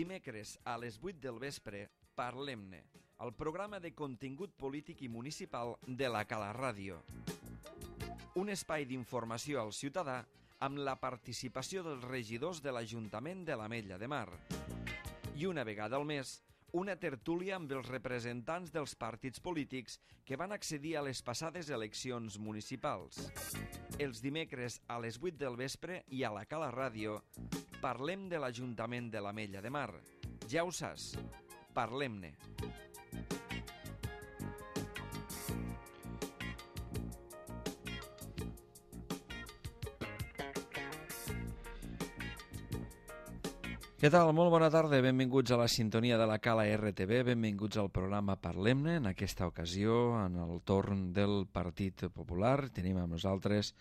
Dimecres a les 8 del vespre, Parlem-ne, el programa de contingut polític i municipal de la Cala Ràdio. Un espai d'informació al ciutadà amb la participació dels regidors de l'Ajuntament de l'Ametlla de Mar. I una vegada al mes, una tertúlia amb els representants dels partits polítics que van accedir a les passades eleccions municipals. Els dimecres a les 8 del vespre i a la Cala Ràdio parlem de l'Ajuntament de l'Ametlla de Mar. Ja ho saps, parlem-ne. Què tal? Molt bona tarda, benvinguts a la sintonia de la Cala RTV, benvinguts al programa Parlem-ne. En aquesta ocasió, en el torn del Partit Popular, tenim amb nosaltres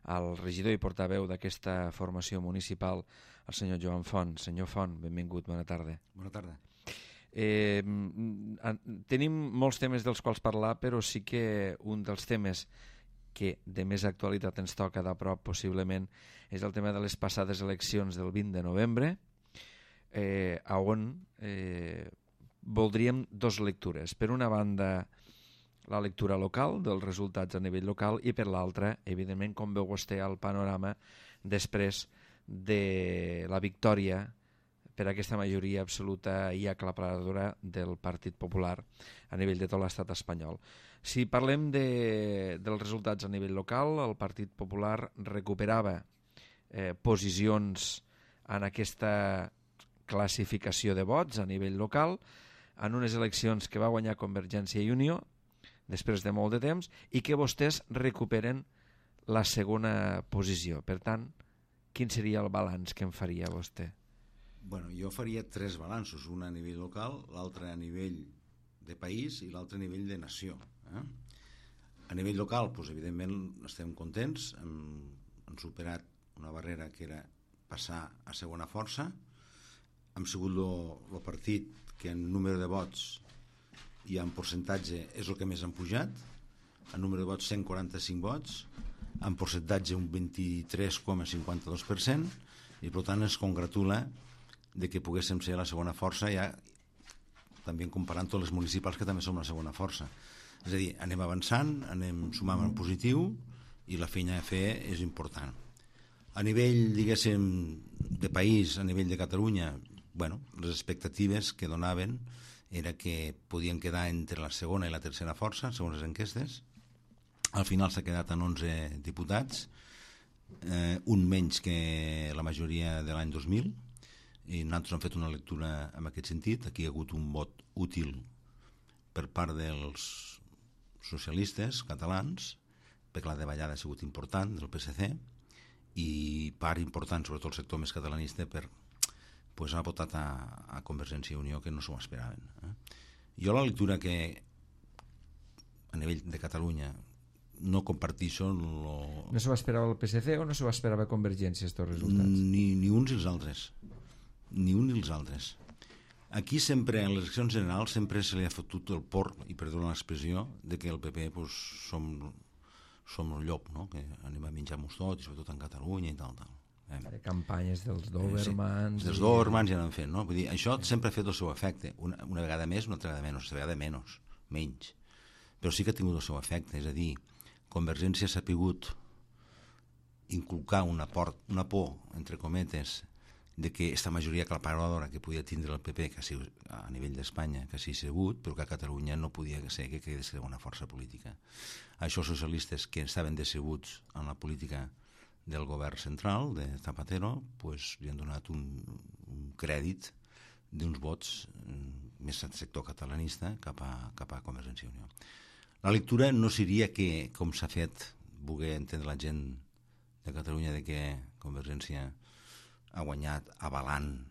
el regidor i portaveu d'aquesta formació municipal, el senyor Joan Font. Senyor Font, benvingut, bona tarda. Bona tarda. Tenim molts temes dels quals parlar, però sí que un dels temes que de més actualitat ens toca de prop possiblement és el tema de les passades eleccions del 20 de novembre, on voldríem dues lectures. Per una banda, la lectura local dels resultats a nivell local i per l'altra, evidentment, com veu vostè el panorama després de la victòria per aquesta majoria absoluta i aclaparadora del Partit Popular a nivell de tot l'estat espanyol. Si parlem dels resultats a nivell local, el Partit Popular recuperava posicions en aquesta classificació de vots a nivell local en unes eleccions que va guanyar Convergència i Unió després de molt de temps i que vostès recuperen la segona posició. Per tant, quin seria el balanç que en faria vostè? Bueno, jo faria tres balanços, un a nivell local, l'altre a nivell de país i l'altre a nivell de nació. A nivell local, doncs, evidentment, estem contents, hem superat una barrera que era passar a segona força. Hem sigut el partit que en número de vots i en percentatge és el que més han pujat. En número de vots 145 vots, en percentatge un 23,52%, i per tant ens congratula de que poguéssim ser la segona força, ja també comparant tots els municipals que també som la segona força. És a dir, anem avançant, anem sumant en positiu i la feina a fer és important. A nivell, diguéssim, de país, a nivell de Catalunya, bueno, les expectatives que donaven era que podien quedar entre la segona i la tercera força, segons les enquestes. Al final s'ha quedat en 11 diputats, un menys que la majoria de l'any 2000, i nosaltres hem fet una lectura en aquest sentit. Aquí hi ha hagut un vot útil per part dels socialistes catalans, perquè la davallada ha sigut important del PSC, i part important, sobretot el sector més catalanista, pues ha votat a Convergència i Unió, que no s'ho esperaven. Jo la lectura que a nivell de Catalunya no comparteixo... No s'ho esperava el PSC o no s'ho esperava Convergència, aquests resultats? Ni uns i els altres. Ni uns i els altres. Aquí sempre, en les eleccions generals, sempre se li ha fotut el porc, i perdona l'expressió, de que el PP pues, som el llop, no? Que anem a menjar-nos tot, i sobretot en Catalunya i tal. Campanyes dels Dobermans... Dels Dobermans ja n'han fet, no? Vull dir, això sempre ha fet el seu efecte, una vegada més, una altra vegada menys, menys. Però sí que ha tingut el seu efecte, és a dir, Convergència s'ha pogut inculcar una por, entre cometes, de que aquesta majoria aclaparadora que podia tindre el PP que a nivell d'Espanya, que sí ha sigut, però que a Catalunya no podia ser que quedés una força política. Això socialistes que estaven decebuts en la política del govern central de Zapatero, pues, li han donat un crèdit d'uns vots més al sector catalanista cap a Convergència i Unió. La lectura no seria que, com s'ha fet, voler entendre la gent de Catalunya, de que Convergència ha guanyat avalant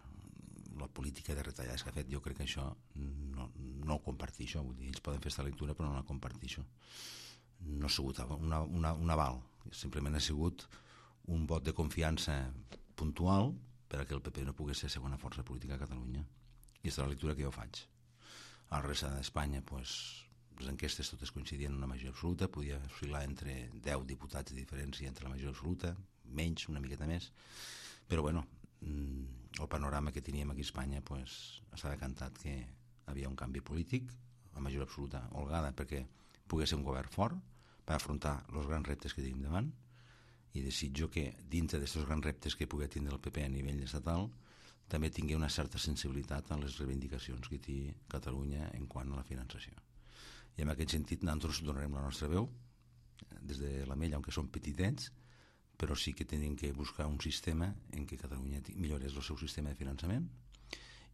la política de retallades que ha fet. Jo crec que això no ho comparteixo. Vull dir, ells poden fer aquesta lectura, però no la comparteixo. No ha sigut un aval, simplement ha sigut un vot de confiança puntual perquè el PP no pogués ser segona força política a Catalunya. I aquesta és la lectura que jo faig. A la resta d'Espanya, pues, les enquestes totes coincidien en una majoria absoluta, podia oscil·lar entre 10 diputats de diferència entre la majoria absoluta, menys, una miqueta més, però bueno, el panorama que teníem aquí a Espanya s'ha decantat que hi havia un canvi polític, a majoria absoluta holgada, perquè pogués ser un govern fort per afrontar els grans reptes que tenim davant, i desitjo que dintre d'aquests grans reptes que pugui tindre el PP a nivell estatal també tingui una certa sensibilitat a les reivindicacions que té Catalunya en quant a la finançació. I en aquest sentit nosaltres donarem la nostra veu des de la Mella, aunque som petitets, però sí que tenim que buscar un sistema en què Catalunya millorés el seu sistema de finançament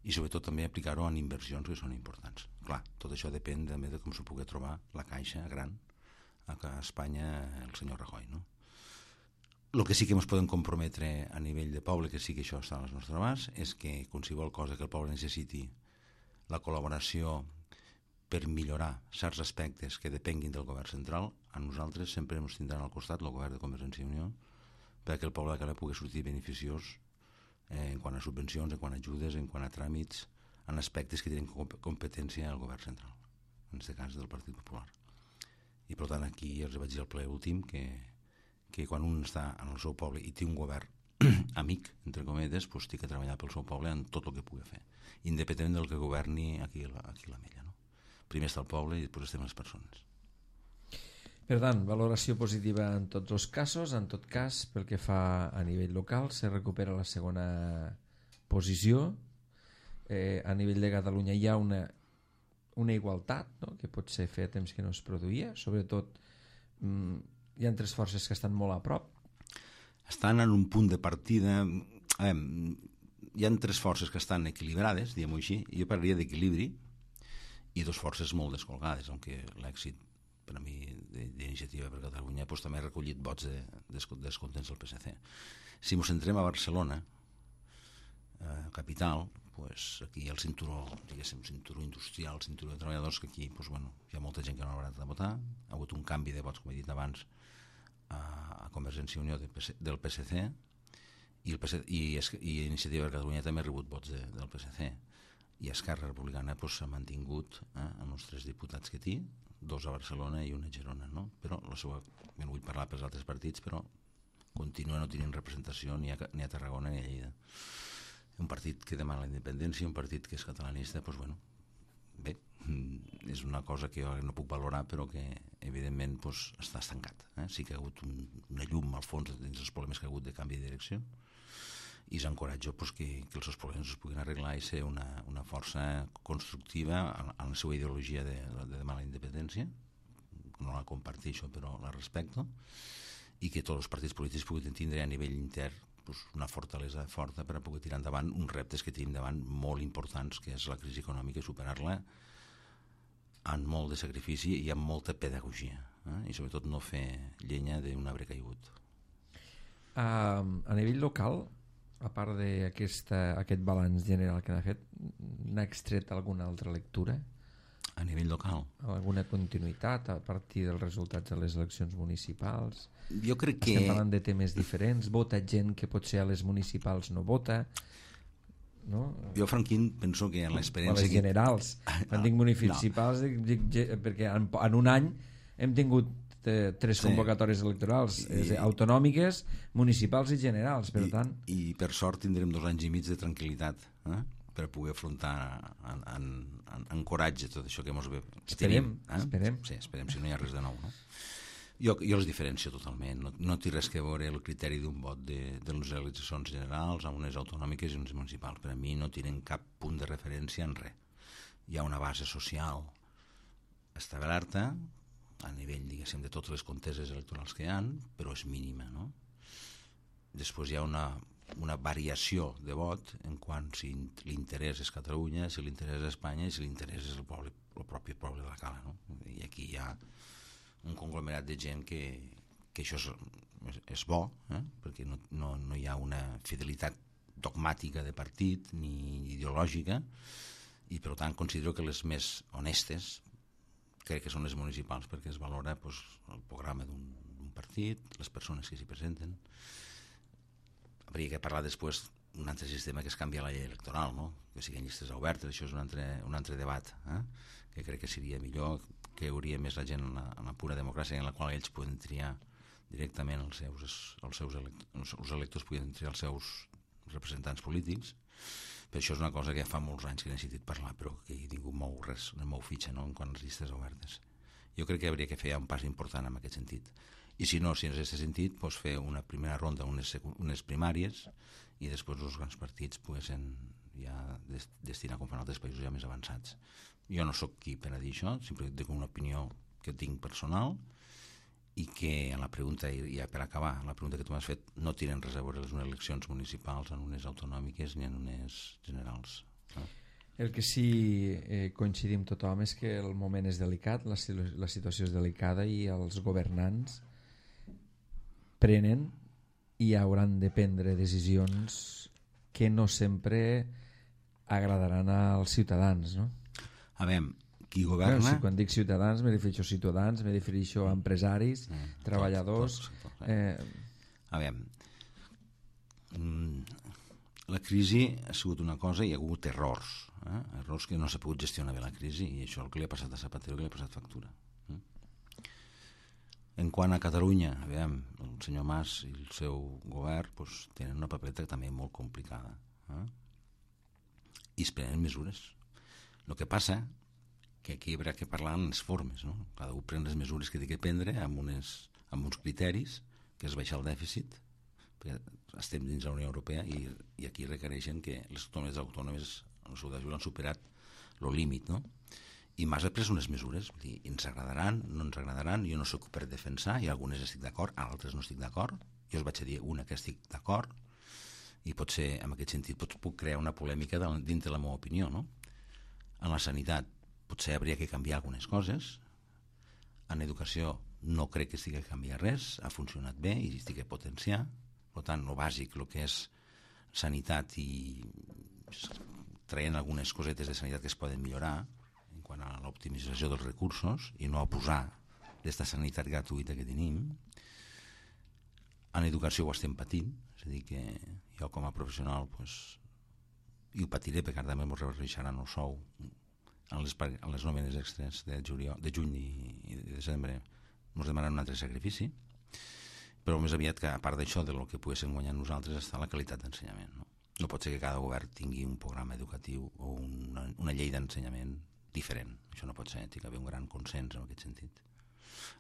i sobretot també aplicar-ho en inversions que són importants. Clar, tot això depèn també de com s'ho pugui trobar la caixa gran a Espanya el senyor Rajoy, no? El que sí que ens podem comprometre a nivell de poble, que sí que això està a les nostres abast, és que qualsevol cosa que el poble necessiti la col·laboració per millorar certs aspectes que depenguin del govern central, a nosaltres sempre ens tindran al costat el govern de Convergència i Unió perquè el poble de Cala pugui sortir beneficiós en quant a subvencions, en quant a ajudes, en quant a tràmits, en aspectes que tenen competència al govern central, en aquest cas del Partit Popular. I per tant aquí els vaig dir al ple últim que quan un està en el seu poble i té un govern amic, entre cometes, doncs té que treballar pel seu poble en tot el que pugui fer, independentment del que governi aquí a la Mella, no? Primer està el poble i després estem les persones. Per tant, valoració positiva en tots els casos. En tot cas, pel que fa a nivell local, se recupera la segona posició. A nivell de Catalunya hi ha una igualtat, no?, que potser feia temps que no es produïa, sobretot hi ha tres forces que estan molt a prop. Estan en un punt de partida. Hi ha tres forces que estan equilibrades, diguem-ho així. Jo parlaria d'equilibri, i dos forces molt descolgades, aunque l'èxit per a mi d'Iniciativa per Catalunya també ha recollit vots descontents del PSC. Si ens centrem a Barcelona, capital, aquí hi ha el cinturó, diguéssim, cinturó industrial, cinturó de treballadors, que aquí hi ha molta gent que no haurà de votar. Ha hagut un canvi de vots, com he dit abans, a Convergència i Unió del PSC, i Iniciativa per Catalunya també ha rebut vots del PSC, i Esquerra Republicana s'ha mantingut amb els 3 diputats que té, 2 a Barcelona i 1 a Girona, no? Però no vull parlar pels altres partits, però continua no tenint representació ni a Tarragona ni a Lleida. Un partit que demana la independència, un partit que és catalanista, bé, és una cosa que jo no puc valorar, però que evidentment està estancat. Sí que ha hagut una llum al fons dins els problemes que ha hagut de canvi de direcció, i s'encoratja que els seus problemes es puguin arreglar i ser una força constructiva en la seva ideologia de demanar la independència. No la comparteixo, però la respecto, i que tots els partits polítics puguin tindre a nivell intern una fortalesa forta per a poder tirar endavant uns reptes que tenim davant molt importants, que és la crisi econòmica, i superar-la amb molt de sacrifici i amb molta pedagogia, i sobretot no fer llenya d'un arbre caigut. A nivell local, a part d'aquest balanç general que n'ha fet, n'ha extret alguna altra lectura? A nivell local? Alguna continuïtat a partir dels resultats de les eleccions municipals? Jo crec que... Estem parlant de temes diferents, vota gent que potser a les municipals no vota, no? Jo, Franquín, penso que en l'experiència... A les generals, quan dic municipals, perquè en un any hem tingut 3 convocatòries electorals, autonòmiques, municipals i generals, per tant... I per sort tindrem 2 anys i mig de tranquil·litat, per poder afrontar en coratge tot això que ens ve. Esperem. Sí, esperem, si no hi ha res de nou, no? Jo les diferencio totalment. No té res que veure el criteri d'un vot de les eleccions generals amb unes autonòmiques i unes municipals. Per a mi no tenen cap punt de referència en res. Hi ha una base social establerta a nivell, diguéssim, de totes les conteses electorals que hi ha, però és mínima, no? Després hi ha una variació de vot en quant si l'interès és Catalunya, si l'interès és Espanya i si l'interès és el propi poble de la Cala, no? I aquí hi ha un conglomerat de gent que això és bo, perquè no hi ha una fidelitat dogmàtica de partit ni ideològica, i per tant considero que les més honestes crec que són les municipals, perquè es valora el programa d'un partit, les persones que s'hi presenten. Hauria que parlar després d'un altre sistema que és canviar la llei electoral, no? Que siguin llistes obertes, això és un altre debat, que crec que seria millor, que hauria més la gent en la pura democràcia, en la qual ells poden triar directament els electors poden triar els seus representants polítics. Però això és una cosa que ja fa molts anys que n'he sentit parlar, però que he tingut no mou fitxa, no?, en quant a les llistes obertes. Jo crec que hauria que fer un pas important en aquest sentit. I si no, si en aquest sentit, doncs fer una primera ronda, unes primàries, i després els grans partits poguessin ja destinar com fan altres països ja més avançats. Jo no sóc qui per a dir això, simplement dic una opinió que tinc personal, i que en la pregunta, i ja per acabar, la pregunta que tu m'has fet, no tenen res a veure les eleccions municipals en unes autonòmiques ni en unes generals. No? El que sí coincidim tothom és que el moment és delicat, la situació és delicada i els governants prenen i hauran de prendre decisions que no sempre agradaran als ciutadans, no? A veure, qui governa... Bueno, quan dic ciutadans me refereixo a ciutadans, me refereixo a empresaris, treballadors... A veure, la crisi ha sigut una cosa i hi ha hagut errors, errors que no s'ha pogut gestionar bé la crisi, i això és el que li ha passat a Zapatero, que li ha passat factura. En quant a Catalunya, a veure, el senyor Mas i el seu govern doncs, tenen una papeleta també molt complicada, i es prenen mesures. El que passa que aquí hi haurà que parlar en les formes, no? Cada un pren les mesures que té que prendre amb uns criteris, que és baixar el dèficit, perquè estem dins la Unió Europea i aquí requereixen que les comunitats autònomes el seu dèficit han superat el límit, no? I Mas ha pres unes mesures, vull dir, ens agradaran, no ens agradaran, jo no soc per defensar, i algunes estic d'acord, altres no estic d'acord, jo us vaig a dir una que estic d'acord, i potser en aquest sentit puc crear una polèmica dintre la meva opinió, no? En la sanitat potser hauria que canviar algunes coses, en educació no crec que estigui a canviar res, ha funcionat bé i estigui a potenciar, per tant, el bàsic, el que és sanitat i traient algunes cosetes de sanitat que es poden millorar en quant a l'optimització dels recursos i no abusar d'esta sanitat gratuïta que tenim. En educació ho estem patint, és a dir, que jo com a professional i ho patiré perquè també ens rebaixaran el sou a les nòmines extres de juny i de desembre, ens demanen un altre sacrifici, però més aviat que a part d'això, del que poguéssim guanyar nosaltres, està la qualitat d'ensenyament. No pot ser que cada govern tingui un programa educatiu o una llei d'ensenyament diferent. Això no pot ser, té que haver un gran consens en aquest sentit,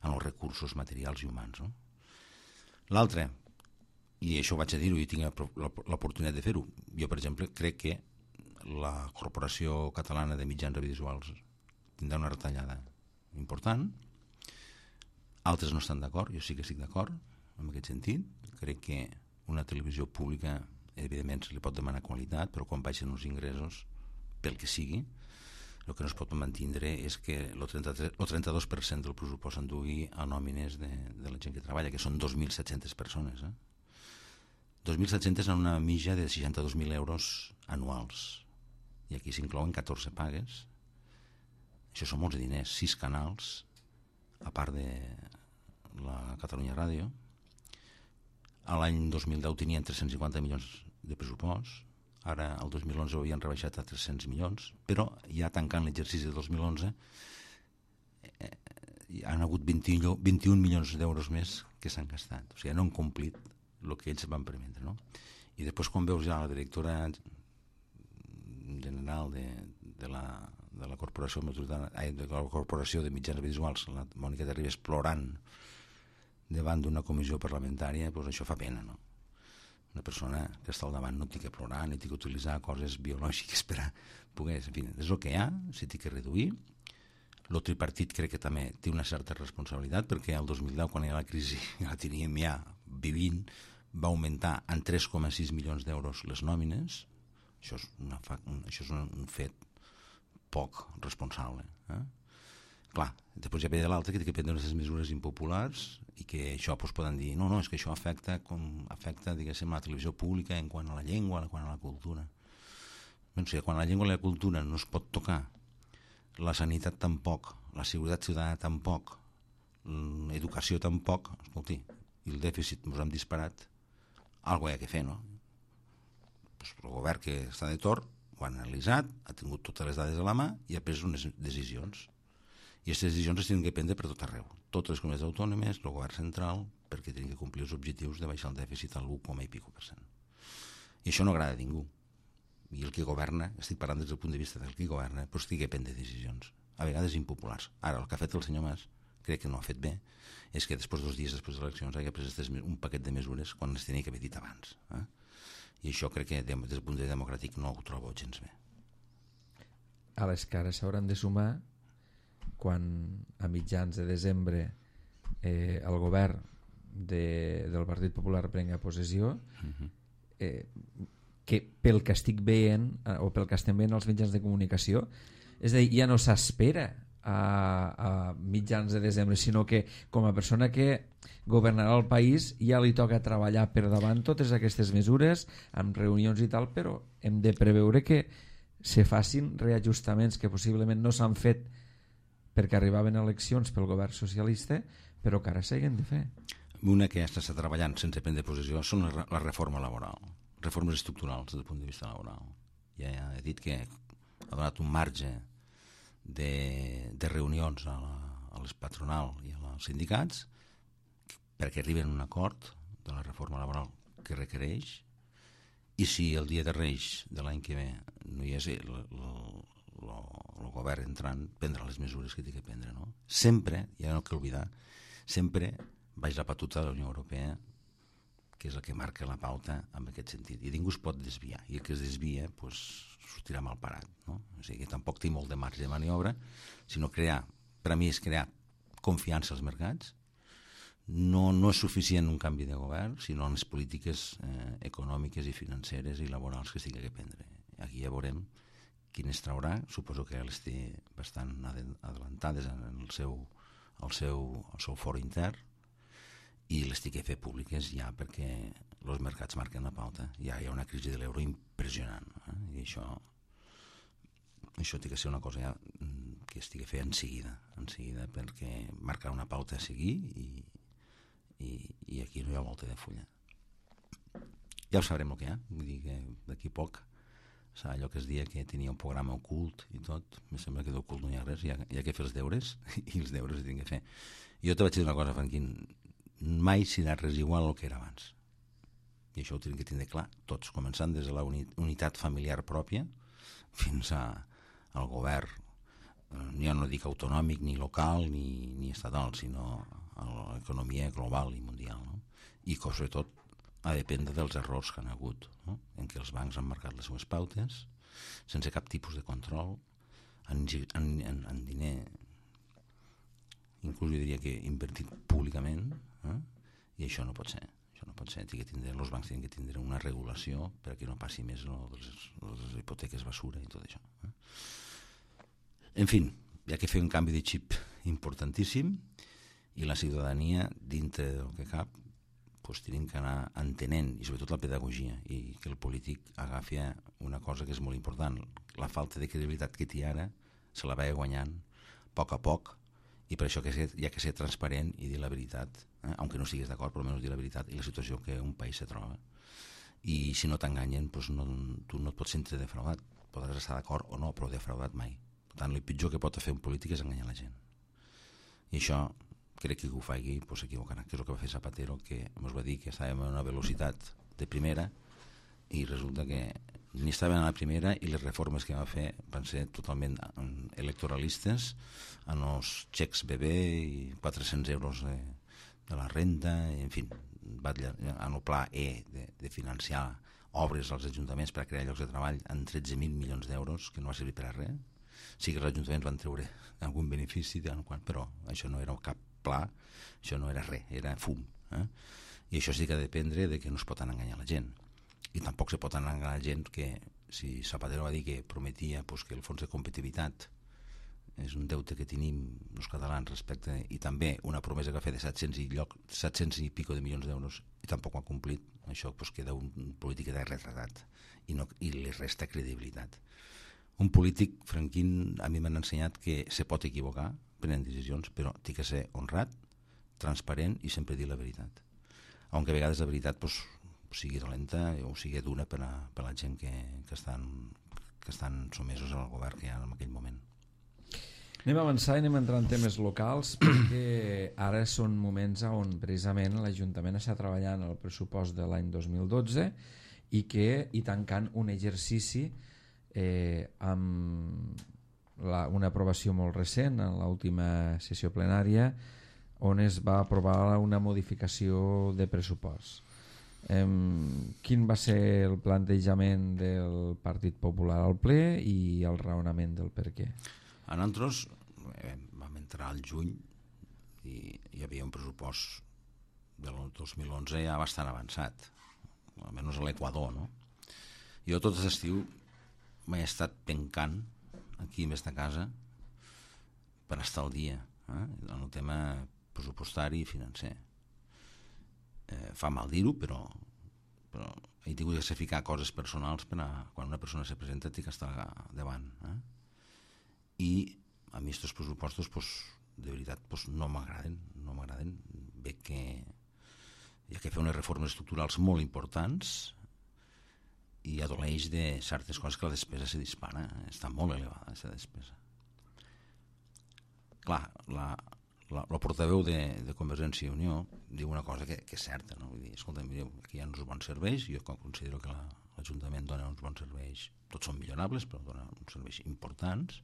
en els recursos materials i humans, no? L'altre, i això ho vaig a dir-ho i tinc l'oportunitat de fer-ho, jo per exemple crec que la Corporació Catalana de Mitjans Audiovisuals tindrà una retallada important, altres no estan d'acord, jo sí que estic d'acord en aquest sentit, crec que una televisió pública evidentment se li pot demanar qualitat, però quan baixen els ingressos pel que sigui, el que no es pot mantindre és que el 32% del pressupost s'endugui a nòmines de la gent que treballa, que són 2.700 persones. 2.700 en una mitja de 62.000 euros anuals. I aquí s'inclouen 14 pagues. Això són molts diners, 6 canals, a part de la Catalunya Ràdio. A l'any 2010 tenien 350 milions de pressupost, ara el 2011 ho havien rebaixat a 300 milions, però ja tancant l'exercici de 2011 han hagut 21 milions d'euros més que s'han gastat. O sigui, no han complit el que ells van permetre, no? I després quan veus ja la directora general de la Corporació de Mitjans Audiovisuals, la Mònica de Ribes, plorant davant d'una comissió parlamentària, doncs això fa pena, no? Una persona que està al davant no té que plorar ni té que utilitzar coses biològiques per a poder... En fi, és el que hi ha, s'hi té que reduir. El tripartit crec que també té una certa responsabilitat, perquè el 2010, quan hi ha la crisi, la teníem ja vivint, va augmentar en 3,6 milions d'euros les nòmines. Això és un fet poc responsable. Clar, després ja ve de l'altre que té que prendre unes mesures impopulars i que això poden dir no, és que això afecta diguéssim la televisió pública en quant a la llengua, en quant a la cultura. Doncs quan la llengua i la cultura no es pot tocar, la sanitat tampoc, la seguretat ciutadana tampoc, l'educació tampoc, escolti, i el dèficit ens hem disparat, alguna cosa hi ha que fer, no? Pues el govern que està de torn ho ha analitzat, ha tingut totes les dades a la mà i ha pres unes decisions. I aquestes decisions es tenen que prendre per tot arreu. Totes les comunitats autònomes, el govern central, perquè tenen que complir els objectius de baixar el dèficit al 1,5%. I això no agrada a ningú. I el que governa, estic parlant des del punt de vista del que governa, doncs té que prendre decisions, a vegades impopulars. Ara, el que ha fet el senyor Mas, crec que no ha fet bé, és que després 2 dies després de les eleccions hagi pres un paquet de mesures quan les tenia que haver dit abans. I això crec que des del punt de vista democràtic no ho trobo gens bé. A les cares s'hauran de sumar quan a mitjans de desembre el govern del Partit Popular prenga possessió, que pel que estic veient o pel que estem veient als mitjans de comunicació, és a dir, ja no s'espera a mitjans de desembre, sinó que com a persona que governarà el país ja li toca treballar per davant totes aquestes mesures amb reunions i tal, però hem de preveure que se facin reajustaments que possiblement no s'han fet perquè arribaven eleccions pel govern socialista, però que ara s'hagin de fer. Una que ja està treballant sense prendre possessió són la reforma laboral, reformes estructurals des del punt de vista laboral. Ja he dit que ha donat un marge de reunions a les patronal i als sindicats perquè arriben a un acord de la reforma laboral que requereix, i si el dia de Reis de l'any que ve no hi és el govern entrant, prendrà les mesures que té que prendre, no? Sempre, ja no cal oblidar, sempre baix la batuta de la Unió Europea, que és el que marca la pauta en aquest sentit, i ningú es pot desviar, i el que es desvia doncs, sortirà mal parat, no? O sigui que tampoc té molt de marge de maniobra, sinó per a mi és crear confiança als mercats. No és suficient un canvi de govern, sinó en les polítiques econòmiques i financeres i laborals que s'hagi de prendre. Aquí ja veurem quines traurà, suposo que les té bastant adelantades en el seu foro intern, i les té que fer públiques ja perquè els mercats marquen la pauta. Ja hi ha una crisi de l'euro impressionant, i això té que ser una cosa ja que es té que fer en seguida, perquè marcarà una pauta a seguir i aquí no hi ha volta de fulla. Ja ho sabrem el que hi ha, vull dir que d'aquí poc serà allò que es dia que tenia un programa ocult i tot, em sembla que d'ocult no hi ha res, hi ha que fer els deures i els deures els tinc que fer. Jo te vaig dir una cosa, Franquín, mai serà res igual el que era abans, i això ho tenim que tindre clar tots, començant des de la unitat familiar pròpia fins al govern, ja no dic autonòmic ni local ni estatal, sinó a l'economia global i mundial, no? I que sobretot ha de dependre dels errors que han hagut, no? En què els bancs han marcat les seves pautes sense cap tipus de control, en diner, inclús jo diria que invertit públicament, i això no pot ser. Els bancs tenen que tindre una regulació perquè no passi més les hipoteques basura i tot això. En fi, hi ha que fer un canvi de xip importantíssim, i la ciutadania, dintre del que cap, tenim que anar entenent, i sobretot la pedagogia, i que el polític agafi una cosa que és molt important. La falta de credibilitat que té ara se la va guanyant a poc, i per això hi ha que ser transparent i dir la veritat, aunque no estiguis d'acord, però almenys dir la veritat i la situació que un país se troba. I si no t'enganyen, tu no et pots sentir defraudat. Podràs estar d'acord o no, però defraudat mai. Per tant, el pitjor que pot fer un polític és enganyar la gent. I això, crec que ho faci, s'equivocarà, que és el que va fer Zapatero, que ens va dir que estàvem a una velocitat de primera i resulta que ni estaven a la primera, i les reformes que va fer van ser totalment electoralistes, en els xecs bebè i 400 euros de la renda, en fi, en el pla E de financiar obres als ajuntaments per a crear llocs de treball en 13.000 milions d'euros, que no va servir per a res. Sí que els ajuntaments van treure algun benefici, però això no era cap pla, això no era res, era fum. I això sí que ha de dependre de que no es pot enganyar la gent. I tampoc se pot enganyar la gent que, si Zapatero va dir que prometia que el fons de competitivitat és un deute que tenim els catalans respecte, i també una promesa que va fer de 700 i pico de milions d'euros, i tampoc ho ha complit, això queda un polític de retratat i li resta credibilitat. Un polític, Franquín, a mi m'han ensenyat que se pot equivocar prenent decisions, però té que ser honrat, transparent i sempre dir la veritat, aunque a vegades la veritat sigui dolenta o sigui dura per a la gent que estan somesos al govern que hi ha en aquell moment. Anem a avançar i anem a entrar en temes locals, perquè ara són moments on precisament l'Ajuntament està treballant el pressupost de l'any 2012 i tancant un exercici amb una aprovació molt recent en l'última sessió plenària on es va aprovar una modificació de pressupost. Quin va ser el plantejament del Partit Popular al ple i el raonament del per què? A nosaltres vam entrar al juny i hi havia un pressupost del 2011 ja bastant avançat, almenys a l'Equador, no? Jo tot l'estiu m'he estat pencant aquí en esta casa per estar al dia en el tema pressupostari i financer. Fa mal dir-ho, però he tingut de sacrificar coses personals per quan una persona se presenta té que estar davant. I a mi aquests pressupostos de veritat no m'agraden. Veig que hi ha que fer unes reformes estructurals molt importants i adoleix de certes coses que la despesa se dispara, està molt elevada aquesta despesa. Clar, el portaveu de Convergència i Unió diu una cosa que és certa, no? Vull dir, escolta, mireu, aquí hi ha uns bons serveis, jo considero que l'Ajuntament dona uns bons serveis, tots són millorables, però dona uns serveis importants.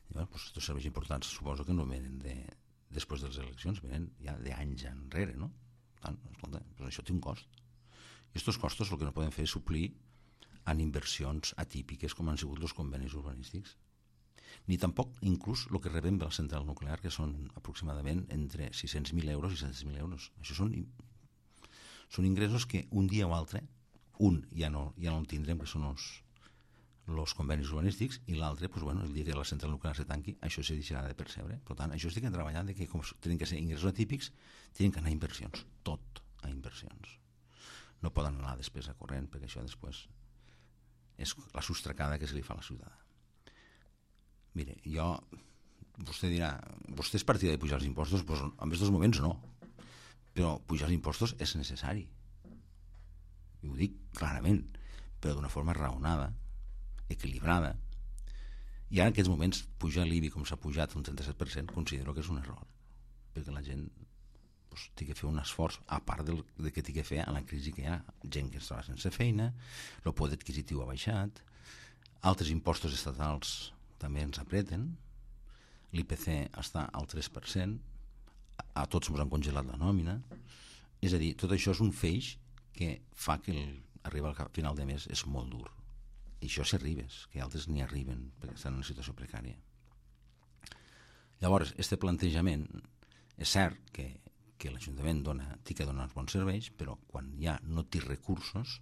I bueno, aquests serveis importants suposo que no venen després de les eleccions, venen ja d'anys enrere, no? Tant, escolta, però això té un cost. I aquests costos el que no poden fer és suplir en inversions atípiques com han sigut els convenis urbanístics. Ni tampoc inclús el que rebem de la central nuclear, que són aproximadament entre 600.000 euros i 700.000 euros. Això són ingressos que un dia o altre, ja no el tindrem, que són els convenis urbanístics, i l'altre, el dia que la central nuclear se tanqui, això se deixarà de percebre. Per tant, això estic treballant que com tenen que ser ingressos atípics, tenen que anar a inversions, tot a inversions. No poden anar a despesa corrent, perquè això després és la sostracada que se li fa a la ciutadà. Mire, vostè dirà, vostè és partida de pujar els impostos? Doncs en aquests moments no, però pujar els impostos és necessari. I ho dic clarament, però d'una forma raonada, equilibrada. I ara en aquests moments pujar l'IBI com s'ha pujat un 37% considero que és un error, perquè la gent té que fer un esforç a part de que té que fer a la crisi que hi ha, gent que es troba sense feina, el poder adquisitiu ha baixat, altres impostos estatals també ens apreten, l'IPC està al 3%, a tots ens han congelat la nòmina, és a dir, tot això és un feix que fa que arribar al final de mes és molt dur. I això si arribes, que altres n'hi arriben perquè estan en una situació precària. Llavors, aquest plantejament és cert que l'Ajuntament té que donar uns bons serveis, però quan ja no té recursos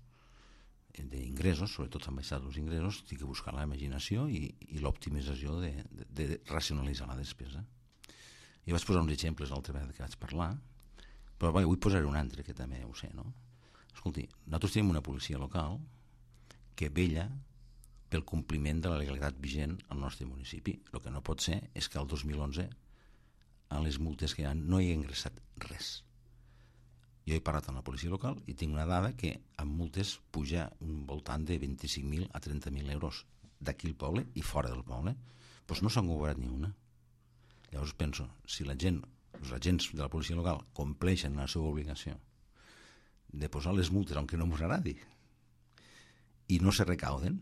d'ingressos, sobretot s'han baixat els ingressos, té que buscar la imaginació i l'optimització de racionalitzar la despesa. Jo vaig posar uns exemples l'altra vegada que vaig parlar, però vull posar un altre que també ho sé, no? Escolti, nosaltres tenim una policia local que vetlla pel compliment de la legalitat vigent al nostre municipi. El que no pot ser és que el 2011 a les multes que hi ha no hi ha ingressat res. Jo he parlat amb la policia local i tinc una dada que amb multes puja un voltant de 25.000 a 30.000 euros d'aquí al poble i fora del poble. Doncs no s'han cobrat ni una. Llavors penso, si els agents de la policia local compleixen la seva obligació de posar les multes on que no ens agradi i no se recauden,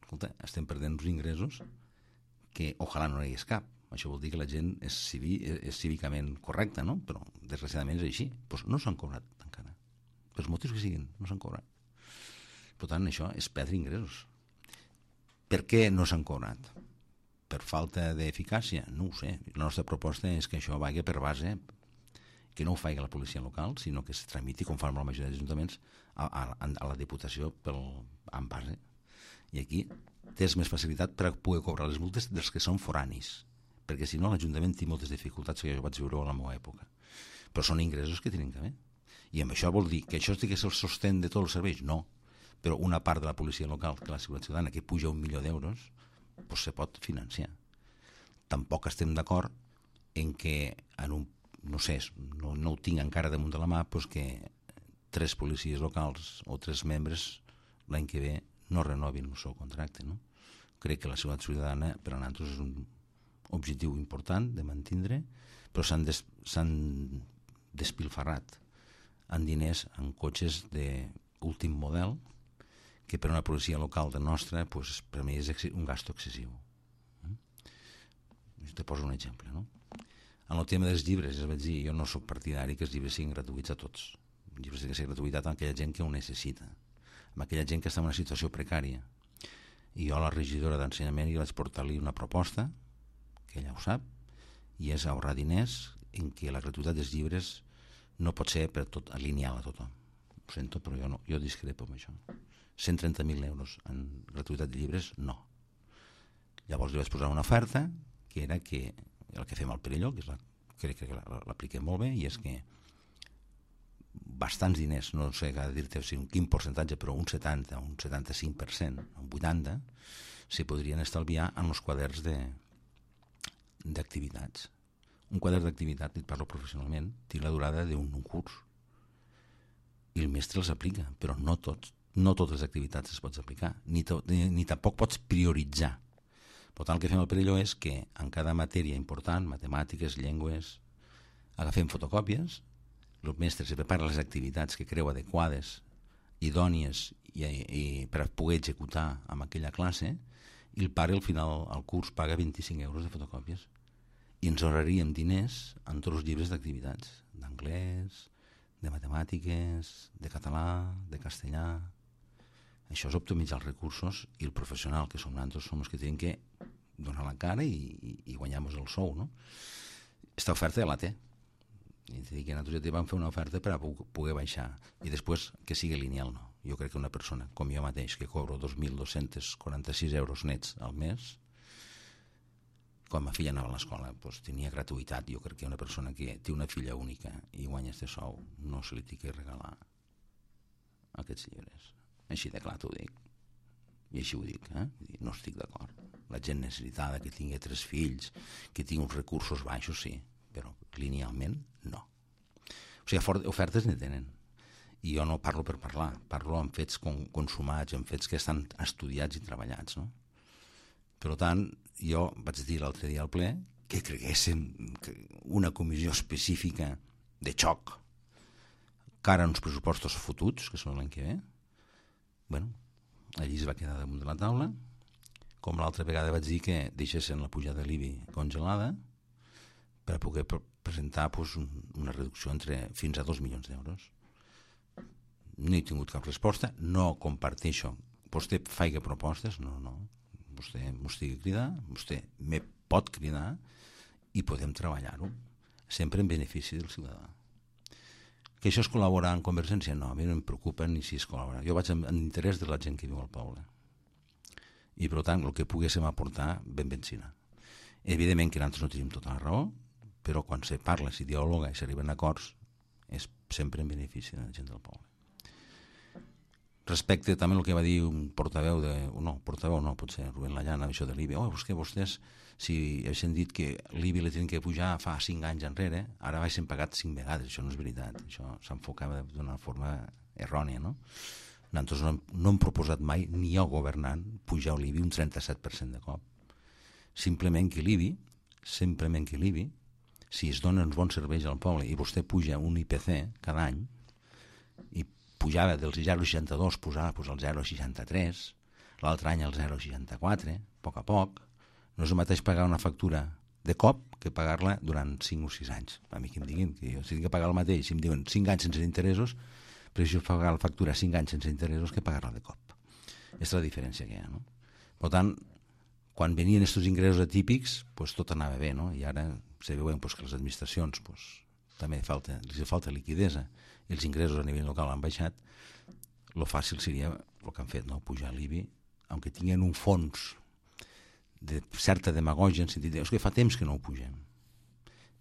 escolta, estem perdent uns ingressos que ojalà no hi hagués cap. Això vol dir que la gent és cívicament correcta, no? Però desgraciadament és així. Doncs no s'han cobrat encara. Pels motius que siguin, no s'han cobrat. Per tant, això és perdre ingressos. Per què no s'han cobrat? Per falta d'eficàcia? No ho sé. La nostra proposta és que això vagi per base, que no ho faci la policia local, sinó que es tramiti, com fan la majoria d'ajuntaments, a la Diputació en base. I aquí tens més facilitat per poder cobrar les multes dels que són foranis, perquè si no l'Ajuntament té moltes dificultats que jo vaig viure a la meva època. Però són ingressos que tenen que haver. I amb això vol dir que això té que ser el sostén de tots els serveis? No. Però una part de la policia local, que la Seguretat Ciutadana, que puja 1 milió d'euros, doncs se pot financiar. Tampoc estem d'acord en que, no sé, no ho tinc encara damunt de la mà, doncs que 3 policies locals o 3 membres l'any que ve no renovin el seu contracte, no? Crec que la Seguretat Ciutadana per a nosaltres és un objectiu important de mantindre, però s'han despilfarrat en diners, en cotxes últim model, que per una policia local de nostra, pues, per mi és un gasto excessiu. Te poso un exemple, no? En el tema dels llibres, és a dir, jo no sóc partidari que els llibres siguin gratuïts a tots. Els llibres han de ser gratuïtat a aquella gent que ho necessita, a aquella gent que està en una situació precària. I jo a la regidora d'ensenyament vaig portar-li una proposta, que ella ho sap, i és ahorrar diners en què la gratuïtat dels llibres no pot ser per tot lineal a tothom. Ho sento, però jo discrepo amb això. 130.000 euros en gratuïtat de llibres, no. Llavors li vaig posar una oferta, que era que el que fem al Perelló, que crec que l'apliquem molt bé, i és que bastants diners, no sé què dir-te quin percentatge, però un 70, un 75%, un 80%, se podrien estalviar en els quaderns d'activitats. Un quadern d'activitat, et parlo professionalment, té la durada d'un curs. I el mestre els aplica, però no totes les activitats es pots aplicar, ni tampoc pots prioritzar. Per tant, el que fem al Perelló és que en cada matèria important, matemàtiques, llengües, agafem fotocòpies, el mestre se prepara les activitats que creu adequades, idònies i per poder executar amb aquella classe, i el pare al final al curs paga 25 euros de fotocòpies. I ens ahorraríem diners en tots els llibres d'activitats, d'anglès, de matemàtiques, de català, de castellà. Això és optimitzar els recursos, i el professional que som nosaltres som els que tenim que donar la cara i guanyar-nos el sou, no? Esta oferta ja la té. I te dic que nosaltres ja vam fer una oferta per a poder baixar, i després que sigui lineal, no. Jo crec que una persona com jo mateix, que cobro 2.246 euros nets al mes, quan ma filla anava a l'escola, doncs tenia gratuïtat. Jo crec que una persona que té una filla única i guanya este sou no se li té que regalar aquests llibres. Així de clar t'ho dic. I així ho dic, no estic d'acord. La gent necessitada, que tingui 3 fills, que tingui uns recursos baixos, sí, però linealment no. O sigui, ofertes ne tenen. I jo no parlo per parlar, parlo amb fets consumats, amb fets que estan estudiats i treballats, no? Per tant, jo vaig dir l'altre dia al ple que creguéssim una comissió específica de xoc cara a uns pressupostos fotuts, que són l'any que ve. Bueno, allí es va quedar damunt de la taula, com l'altra vegada vaig dir que deixessin la pujada de l'IBI congelada per a poder presentar una reducció fins a 2 milions d'euros. No he tingut cap resposta, no comparteixo. Vostè faig propostes, no. Vostè m'estigui a cridar, vostè me pot cridar i podem treballar-ho, sempre en benefici del ciutadà. Que això és col·laborar en Convergència? No, a mi no em preocupa ni si és col·laborar. Jo vaig en interès de la gent que viu al poble. I, per tant, el que poguéssim aportar, benvencina. Evidentment que nosaltres no tenim tota la raó, però quan se parla, si dialoga i s'arriben a acords, és sempre en benefici de la gent del poble. Respecte també el que va dir un portaveu potser Rubén Llana, això de l'IBI. És que vostès, si haguessin dit que l'IBI l'hi tenen que pujar fa 5 anys enrere, ara haguessin pagat 5 vegades. Això no és veritat. Això s'enfocava d'una forma errònia, no? Nosaltres no hem proposat mai, ni jo governant, pujar l'IBI un 37% de cop. Simplement que l'IBI, si es donen uns bons serveis al poble i vostè puja un IPC cada any, i pujava del 0,62, posava al 0,63, l'altre any al 0,64, a poc, no és el mateix pagar una factura de cop que pagar-la durant 5 o 6 anys. A mi que em diguin que jo si tinc que pagar el mateix, si em diuen 5 anys sense interessos, prefereixo pagar la factura 5 anys sense interessos que pagar-la de cop. És la diferència que hi ha, no? Per tant, quan venien aquests ingressos atípics, tot anava bé, no? I ara se veuen que les administracions també els falta liquidesa i els ingressos a nivell local han baixat. Lo fàcil seria el que han fet, no? Pujar l'IBI, aunque tinguin un fons de certa demagògia en sentit que fa temps que no ho pugem.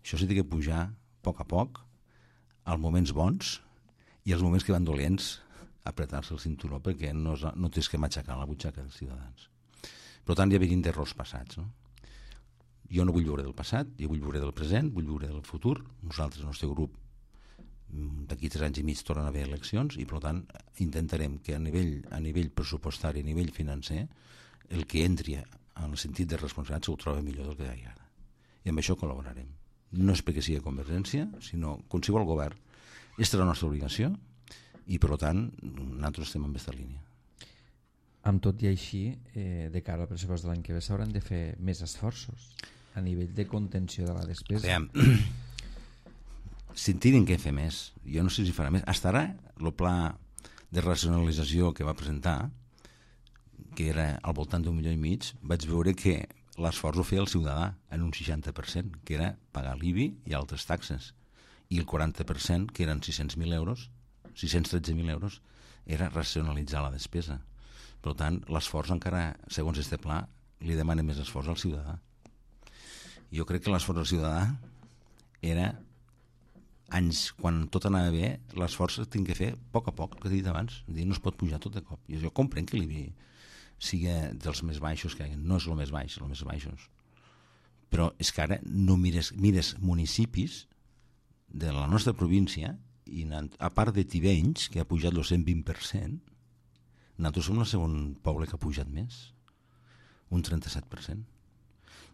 Això s'ha de pujar a poc, als moments bons, i els moments que van dolents apretar-se el cinturó, perquè no tens que matxacar la butxaca dels ciutadans. Per tant, ja venim d'errors passats, no? Jo no vull viure del passat, jo vull viure del present, vull viure del futur. Nosaltres, el nostre grup, d'aquí 3 anys i mig tornen a haver eleccions, i per tant intentarem que a nivell pressupostari, a nivell financer, el que entri en el sentit de responsabilitat ho troba millor del que hi ha ara. I amb això col·laborarem. No és perquè sigui Convergència, sinó qualsevol govern. Aquesta és la nostra obligació, I, per tant, nosaltres estem en aquesta línia. Amb tot i així, de cara al pressupost de l'any que ve s'hauran de fer més esforços a nivell de contenció de la despesa. Veiem, si en tiren què fer més, jo no sé si farà més. Hasta ara, el pla de racionalització que va presentar, que era al voltant d'1,5 milió, vaig veure que l'esforç ho feia el ciutadà en un 60%, que era pagar l'IBI i altres taxes, i el 40%, que eren 600.000 euros, 613.000 euros, era racionalitzar la despesa. Per tant, l'esforç encara, segons este pla, li demana més esforç al ciutadà. Jo crec que l'esforç al ciutadà era anys, quan tot anava bé, l'esforç es tinc que fer a poc, el que he dit abans. No es pot pujar tot de cop. Jo comprenc que l'IBI sigui dels més baixos que hi ha. No és el més baix, els més baixos. Però és que ara no mires municipis de la nostra província, i a part de Tivenys, que ha pujat el 120%, nosaltres som el segon poble que ha pujat més, un 37%.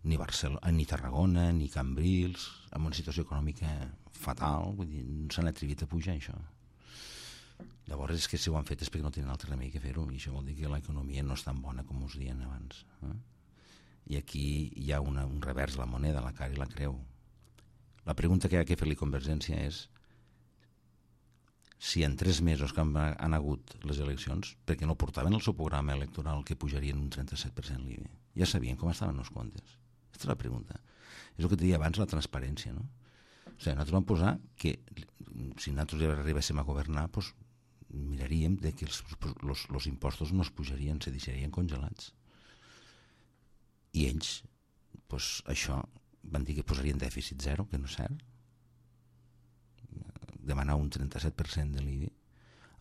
Ni Barcelona, ni Tarragona, ni Cambrils, amb una situació econòmica fatal, vull dir, no s'han atrevit a pujar això. Llavors és que si ho han fet és perquè no tenen altre remei que fer-ho, i això vol dir que l'economia no és tan bona com us deien abans. I aquí hi ha un revers de la moneda, la cara i la creu. La pregunta que hi ha que fer-li Convergència és si en 3 mesos que han hagut les eleccions, perquè no portaven el seu programa electoral que pujarien un 37% l'IBI. Ja sabien com estaven els comptes. Aquesta és la pregunta. És el que et deia abans, la transparència, no? O sigui, nosaltres vam posar que si nosaltres ja arribéssim a governar, doncs miraríem de que els impostos no es pujarien, se deixarien congelats. I ells, doncs això, van dir que posarien dèficit zero, que no és cert. Demanar un 37% de l'IBI,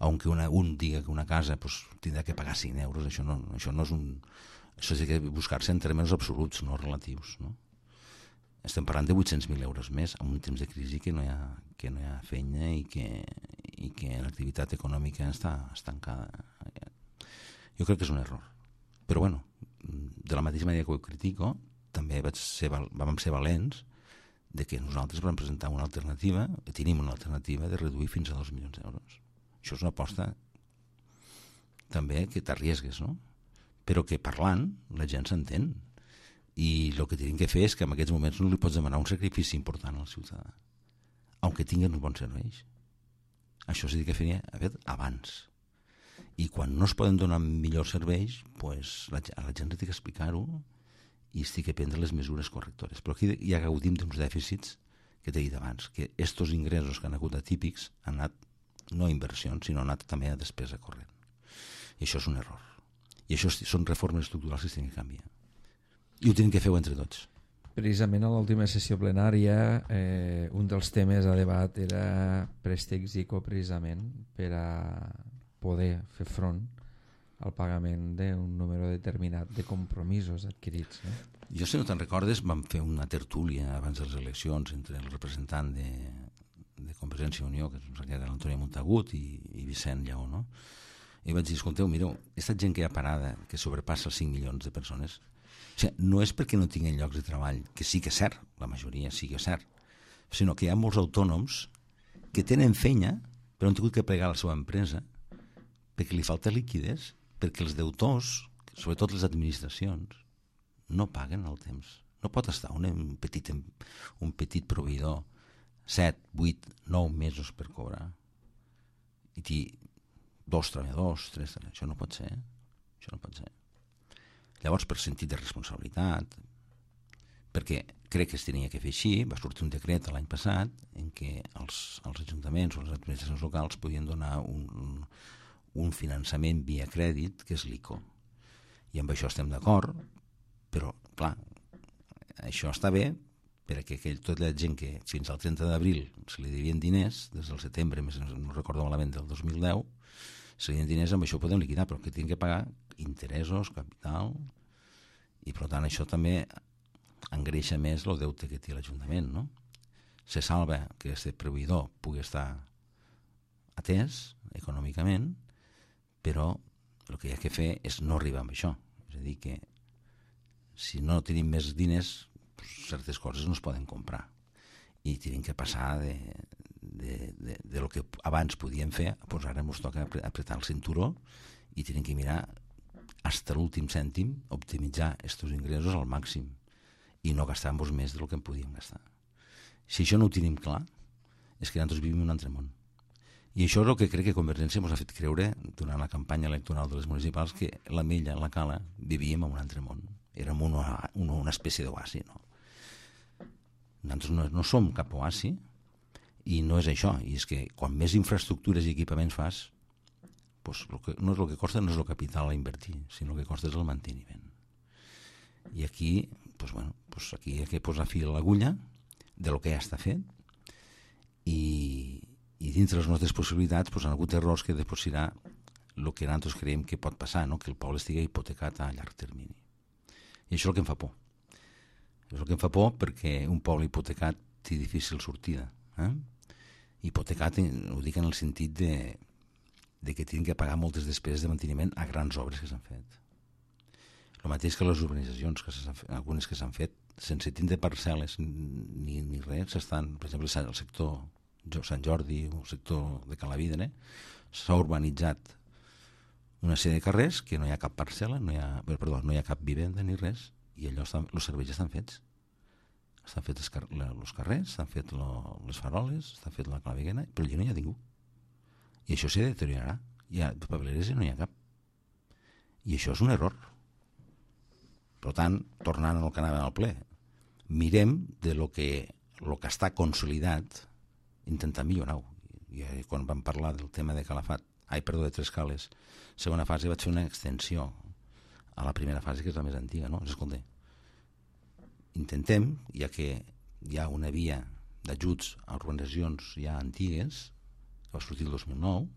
aunque un diga que una casa pues, tindrà que pagar 5 euros, això no és un... Això és que buscar-se en termes absoluts, no relatius. No? Estem parlant de 800.000 euros més en un temps de crisi que no hi ha feina i que l'activitat econòmica està estancada. Jo crec que és un error. Però bueno, de la mateixa manera que ho critico, també vam ser valents de que nosaltres vam presentar una alternativa, tenim una alternativa de reduir fins a 2 milions d'euros. Això és una aposta també que t'arriesgues, no? Però que parlant la gent s'entén. I el que tenim que fer és que en aquests moments no li pots demanar un sacrifici important al ciutadà, aunque tinguin uns bons serveis. Això sí que faria abans. I quan no es poden donar millors serveis, pues, a la gent li té que explicar-ho i estic a prendre les mesures correctores. Però aquí ja gaudim d'uns dèficits que t'he dit abans, que estos ingressos que han hagut atípics han anat no a inversions, sinó han anat també a despesa corrent. I això és un error. I això són reformes estructurals que es tenen que canviar. I ho tenim que fer entre tots. Precisament a l'última sessió plenària un dels temes a debat era préstecs ICO, precisament per a poder fer front al pagament d'un número determinat de compromisos adquirits. No? Jo, si no te'n recordes, vam fer una tertúlia abans de les eleccions entre el representant de Convergència i Unió, que era l'Antònia Montagut, i Vicent Lleó, no? I vaig dir, escolteu, mireu, aquesta gent que hi ha parada, que sobrepassa els 5 milions de persones, o sigui, no és perquè no tinguin llocs de treball, que sí que és cert, la majoria sí que és cert, sinó que hi ha molts autònoms que tenen feina, però han tingut que plegar la seva empresa perquè li falta liquiditat, perquè els deutors, sobretot les administracions, no paguen al temps. No pot estar un petit proveïdor 7, 8, 9 mesos per cobrar i dir 2 treballadors, 3 treballadors. Això no pot ser. Això no pot ser. Llavors, per sentit de responsabilitat, perquè crec que es tenia que fer així, va sortir un decret l'any passat en què els ajuntaments o les administracions locals podien donar un finançament via crèdit, que és l'ICO. I amb això estem d'acord, però, clar, això està bé perquè tota la gent que fins al 30 d'abril se li devien diners, des del setembre, no recordo malament, del 2010, se li devien diners, amb això podem liquidar, però que tenen que pagar interessos, capital, i per tant això també engreixa més el deute que té l'Ajuntament, no? Se salva que aquest proveïdor pugui estar atès econòmicament, però el que hi ha que fer és no arribar amb això. És a dir, que si no tenim més diners, certes coses no es poden comprar. I tenim que passar lo que abans podíem fer, doncs ara ens toca apretar el cinturó i tenim que mirar fins l'últim cèntim, optimitzar aquests ingressos al màxim i no gastar-nos més del que en podíem gastar. Si això no ho tenim clar, és que nosaltres vivim en un altre món. I això és el que crec que Convergència ens ha fet creure durant la campanya electoral de les municipals, que l'Ametlla, la Cala, vivíem en un altre món. Érem una espècie d'oasi, no? Nosaltres no som cap oasi i no és això. I és que quan més infraestructures i equipaments fas, doncs no és el que costa, no és el capital a invertir, sinó el que costa és el manteniment. I aquí, aquí hi ha que posar fil a l'agulla de lo que ja està fet i dintre les nostres possibilitats han hagut errors que després serà el que nosaltres creiem que pot passar, no? Que el poble estigui hipotecat a llarg termini. I això és el que em fa por. És el que em fa por perquè un poble hipotecat té difícil sortida. Hipotecat ho dic en el sentit de que tenen que pagar moltes despeses de manteniment a grans obres que s'han fet. El mateix que les urbanitzacions, algunes que s'han fet, sense tindre parcel·les ni res, estan, per exemple, el sector Sant Jordi, el sector de Calavidre, s'ha urbanitzat una sèrie de carrers que no hi ha cap parcel·la, no hi ha cap vivenda ni res, i allò els serveis estan fets. Estan fets els carrers, estan fets les faroles, estan fets la claviguena, però allà no hi ha ningú. I això se deteriorarà. Hi ha papeleres i no hi ha cap. I això és un error. Per tant, tornant al que anava al ple, mirem de lo que està consolidat, intentar millorar-ho. I quan vam parlar del tema de de Tres Cales, segona fase vaig fer una extensió a la primera fase, que és la més antiga, no? Escolta, intentem, ja que hi ha una via d'ajuts a urbanitzacions ja antigues, que va sortir el 2009,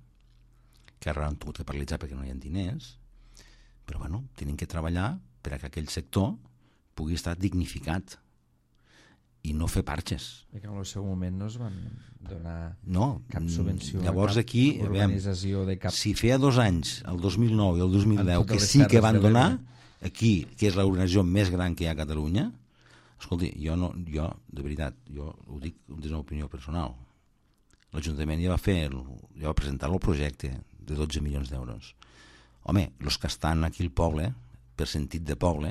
que ara han tingut que paralitzar perquè no hi ha diners, però tenim que treballar per a que aquell sector pugui estar dignificat i no fer parxes. Perquè en el seu moment no es van donar cap subvenció, llavors cap aquí, urbanització de cap... Si feia 2 anys, el 2009 i el 2010, que sí que van donar, aquí, que és l'organització més gran que hi ha a Catalunya, escolti, jo, de veritat, jo ho dic des de la opinió personal, l'Ajuntament ja va presentar el projecte de 12 milions d'euros. Home, els que estan aquí al poble, per sentit de poble,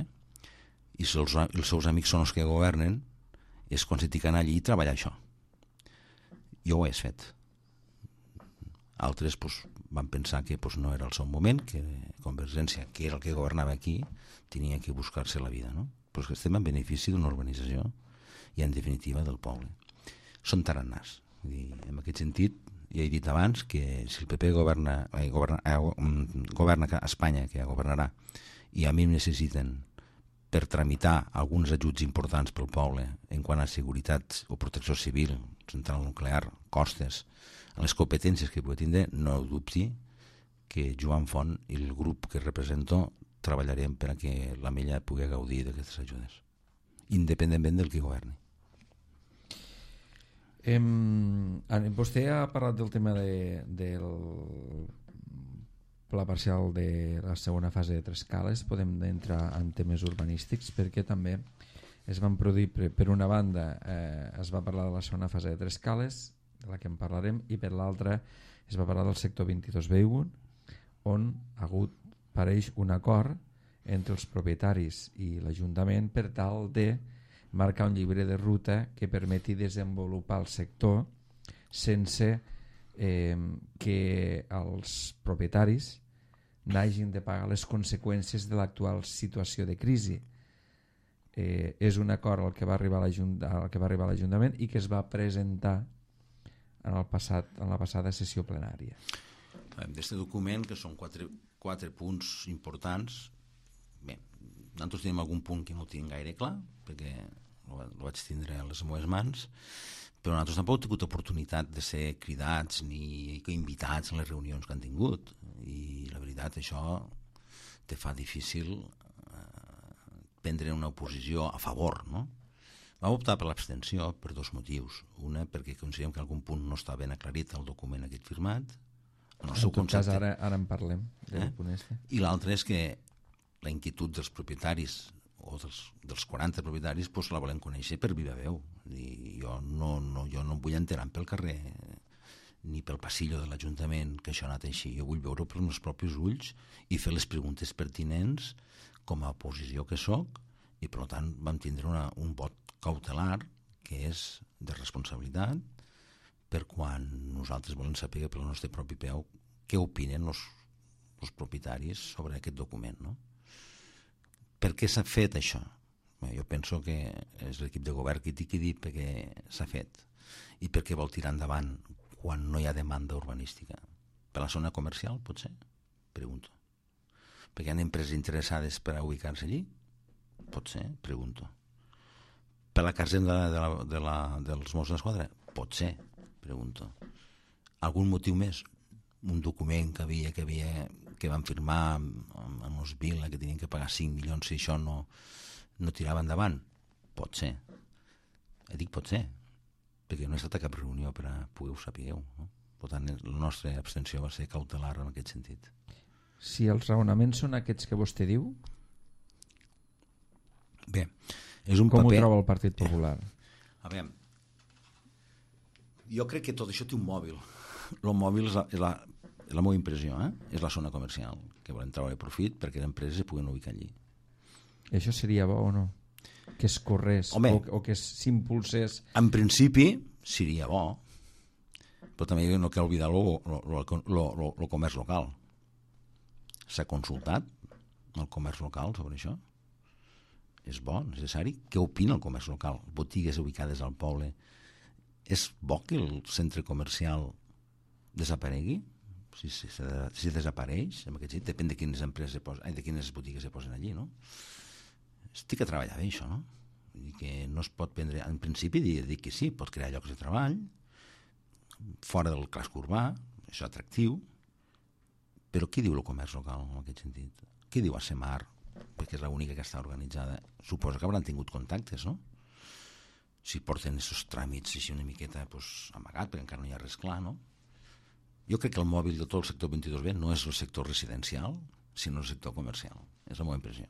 i si els seus amics són els que governen, és quan se t'hi anar allí i treballar això. Jo ho he fet. Altres van pensar que no era el seu moment, que Convergència, que era el que governava aquí, tenia que buscar-se la vida, no? Però és que estem en benefici d'una urbanització i, en definitiva, del poble. Són tarannars. En aquest sentit, ja he dit abans que si el PP governa a Espanya, que ja governarà, i a mi em necessiten per tramitar alguns ajuts importants pel poble en quant a seguretat o protecció civil, central nuclear, costes, en les competències que pugui tindre, no dubti que Joan Font i el grup que represento treballarem per a que l'Ametlla pugui gaudir d'aquestes ajudes, independentment del que governi. Vostè ha parlat del tema del pla parcial de la segona fase de Tres Cales. Podem entrar en temes urbanístics, perquè també es van produir, per una banda es va parlar de la segona fase de Tres Cales, de la que en parlarem, i per l'altra es va parlar del sector 22B1, on pareix un acord entre els propietaris i l'Ajuntament per tal de marcar un llibre de ruta que permeti desenvolupar el sector sense que els propietaris n'hagin de pagar les conseqüències de l'actual situació de crisi. És un acord al que va arribar l'Ajuntament i que es va presentar en la passada sessió plenària. D'aquest document, que són quatre punts importants, bé, nosaltres tenim algun punt que no tinc gaire clar, perquè el vaig tindre a les meves mans, però nosaltres tampoc hem tingut oportunitat de ser cridats ni invitats a les reunions que han tingut, i la veritat això te fa difícil prendre una oposició a favor, no? Vam optar per l'abstenció per 2 motius. Una, perquè considerem que algun punt no està ben aclarit al document aquest firmat, en el seu concepte. Ara en parlem del punt este. I l'altre és que la inquietud dels propietaris o dels 40 propietaris, doncs la volem conèixer per viva veu. I jo no em vull enterar pel carrer ni pel passillo de l'Ajuntament que això ha anat així. Jo vull veure pels meus propis ulls i fer les preguntes pertinents com a oposició que sóc, i per tant vam tindre un vot cautelar que és de responsabilitat per quan nosaltres volem saber pel nostre propi peu què opinen els propietaris sobre aquest document, no? Per què s'ha fet això? Jo penso que és l'equip de govern qui té que dir per què s'ha fet i per què vol tirar endavant quan no hi ha demanda urbanística. Per la zona comercial, potser? Pregunto. Perquè hi ha empreses interessades per a ubicar-se allí? Potser? Pregunto. Per la casenda dels Mossos d'Esquadra? Potser? Pregunto. Algun motiu més? Un document que van firmar amb els Vila que tenien que pagar 5 milions si això no tirava endavant? Pot ser. Dic pot ser, perquè no he estat a cap reunió per a poder-ho sapigueu, no? Per tant, la nostra abstenció va ser cautelar en aquest sentit. Si els raonaments són aquests que vostè diu, bé, és un com paper... ho troba el Partit Popular? A veure, jo crec que tot això té un mòbil. El mòbil és la meva impressió, és la zona comercial, que volem treure profit perquè les empreses es puguen ubicar allí. Això seria bo o no? Que es corrés o que s'impulsés? En principi seria bo, però també no cal oblidar el comerç local. S'ha consultat el comerç local sobre això? És bo, necessari? Què opina el comerç local? Botigues ubicades al poble. És bo que el centre comercial desaparegui? Si desapareix, en aquest sentit, depèn de quines empreses de quines botigues se posen allí, no? Estic a treballar bé, això, no? Vull dir que no es pot prendre... En principi, dir que sí, pot crear llocs de treball, fora del casc urbà, això és atractiu, però què diu el comerç local en aquest sentit? Què diu ASEMAR? Perquè és l'única que està organitzada. Suposo que hauran tingut contactes, no? Si porten aquests tràmits així una miqueta amagat, perquè encara no hi ha res clar, no? Jo crec que el mòbil de tot el sector 22B no és el sector residencial, sinó el sector comercial. És la meva impressió.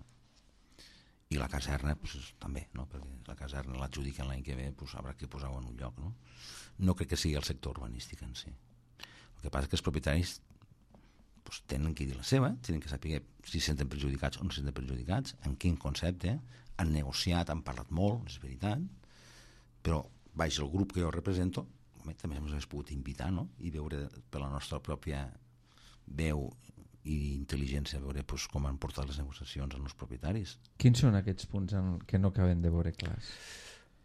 I la caserna, també, no? Perquè la caserna l'adjudiquen l'any que ve, haurà que posar-ho en un lloc, no? No crec que sigui el sector urbanístic en si. El que passa és que els propietaris tenen que dir la seva, tenen que saber si se senten perjudicats o no se senten perjudicats, en quin concepte, han negociat, han parlat molt, és veritat, però baix el grup que jo represento també ens hem pogut invitar, no? I veure per la nostra pròpia veu i intel·ligència veure com han portat les negociacions amb els propietaris. Quins són aquests punts que no acaben de veure clars?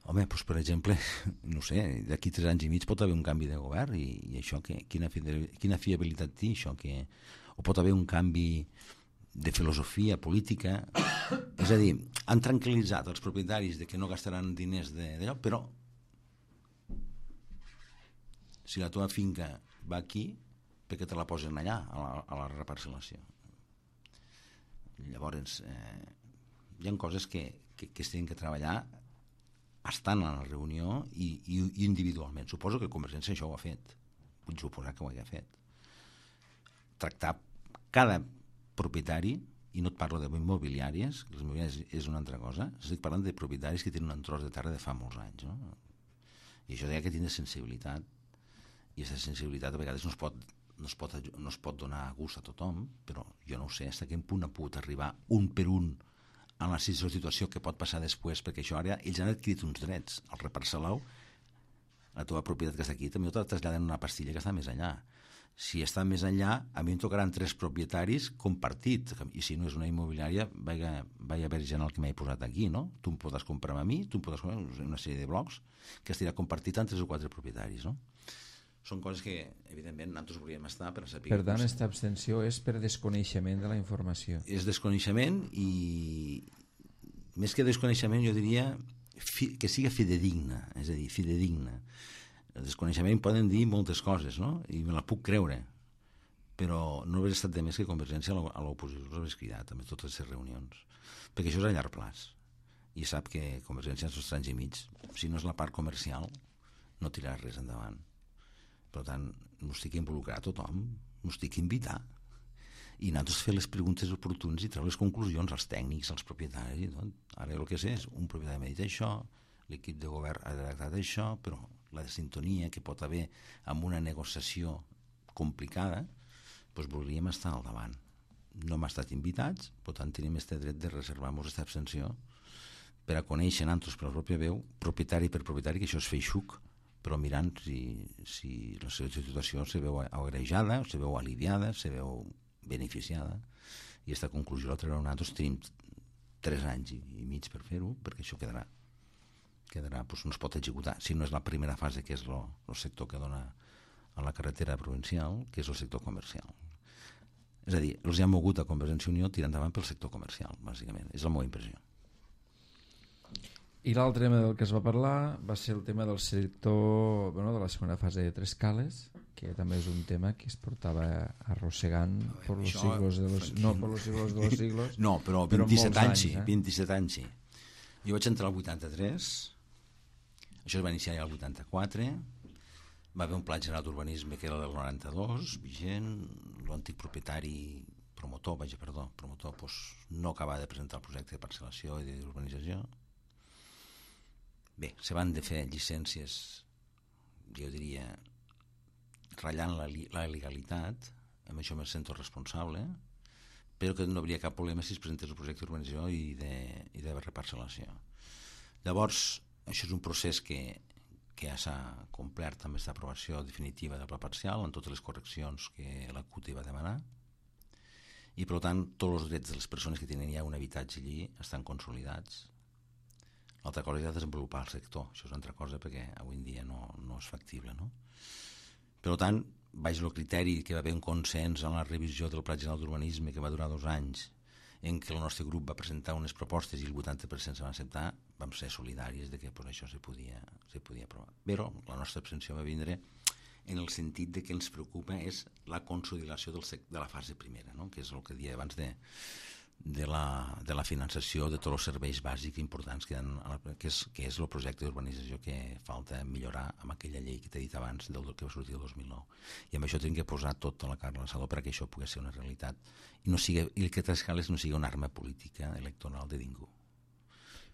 Home, per exemple, no sé, d'aquí 3 anys i mig pot haver un canvi de govern i això, quina fiabilitat té això? O pot haver un canvi de filosofia política. És a dir, han tranquil·litzat els propietaris de que no gastaran diners d'allò, però si la teva finca va aquí, perquè te la posen allà, a la reparcel·lació. Llavors, hi ha coses que es tenen que treballar estant a la reunió i individualment. Suposo que Convergència això ho ha fet. Vull suposar que ho ha fet. Tractar cada propietari, i no et parlo d'immobiliàries, les immobiliàries és una altra cosa, estic parlant de propietaris que tenen un tros de terra de fa molts anys, no? I això deia que tindre sensibilitat, i aquesta sensibilitat a vegades no es pot donar gust a tothom, però jo no ho sé fins a quin punt ha pogut arribar un per un a la situació que pot passar després, perquè això ara ells han adquirit uns drets. El reparcel·lau, la teva propietat que està aquí, també te la traslladen una pastilla que està més enllà. Si està més enllà, a mi em tocaran 3 propietaris compartit, i si no és una immobiliària, vaig a veure gent el que m'he posat aquí, no? Tu em podràs comprar a mi, tu em podràs comprar una sèrie de blocs que estirà compartit amb 3 o 4 propietaris, no? Són coses que, evidentment, nosaltres volíem estar per saber... Per tant, aquesta abstenció és per desconeixement de la informació. És desconeixement i, més que desconeixement, jo diria que siga fidedigna, és a dir, fidedigna. El desconeixement poden dir moltes coses, no? I me la puc creure, però no hauria estat de més que Convergència a l'oposició els hagués cridat amb totes les reunions, perquè això és a llarg plaç. I sap que Convergència en els 3 anys i mig, si no és la part comercial, no tirarà res endavant. Per tant, no estic involucrat a tothom, no estic invitar. i nosaltres fer les preguntes oportunes i treure les conclusions als tècnics, als propietaris i tot. Ara el que sé és, un propietari m'ha dit això, l'equip de govern ha redactat això, però la sintonia que pot haver amb una negociació complicada, doncs voldríem estar al davant. No hem estat invitats, per tant tenim aquest dret de reservar-nos aquesta abstenció per a conèixer nosaltres per la pròpia veu, propietari per propietari, que això és feixuc, però mirant si la seva situació se veu agrejada, se veu aliviada, se veu beneficiada, i aquesta conclusió la traurem nosaltres. Tenim 3 anys i mig per fer-ho, perquè això quedarà, doncs no es pot executar si no és la primera fase, que és el sector que dona a la carretera provincial, que és el sector comercial. És a dir, els hi han mogut a Convergència i Unió tirar endavant pel sector comercial, bàsicament. És la meva impressió. I l'altre tema del que es va parlar va ser el tema del sector, de la segona fase de Trescales, que també és un tema que es portava arrossegant per los siglos de los... No, per los siglos de los siglos. No, però 27 anys, sí. 27 anys, sí. Jo vaig entrar al 83, això es va iniciar ja al 84, va haver un pla general d'urbanisme que era del 92, vigent, l'antic propietari promotor doncs, no acabava de presentar el projecte de parcel·lació i d'urbanització. Bé, se van de fer llicències, jo diria, ratllant la legalitat, amb això me sento responsable, però que no hauria cap problema si es presentés el projecte d'urbanització i de reparcel·lació. Llavors, això és un procés que ja s'ha complert amb aquesta aprovació definitiva del pla parcial, amb totes les correccions que la CUT va demanar, i per tant tots els drets de les persones que tenen ja un habitatge allí estan consolidats. L'altra cosa és desenvolupar el sector, això és una altra cosa perquè avui en dia no és factible, no? Per tant, baix el criteri que va haver un consens en la revisió del Pla General d'Urbanisme que va durar 2 anys, en què el nostre grup va presentar unes propostes i el 80% se van acceptar, vam ser solidaris de que això se podia aprovar. Però la nostra abstenció va vindre en el sentit de que ens preocupa és la consolidació de la fase primera, no? Que és el que deia abans de la finançació de tots els serveis bàsics importants que és el projecte d'urbanització que falta millorar amb aquella llei que t'he dit abans del que va sortir el 2009, i amb això tenim que posar tota la carn a l'assador perquè això pugui ser una realitat i que Trescales no sigui una arma política electoral de ningú.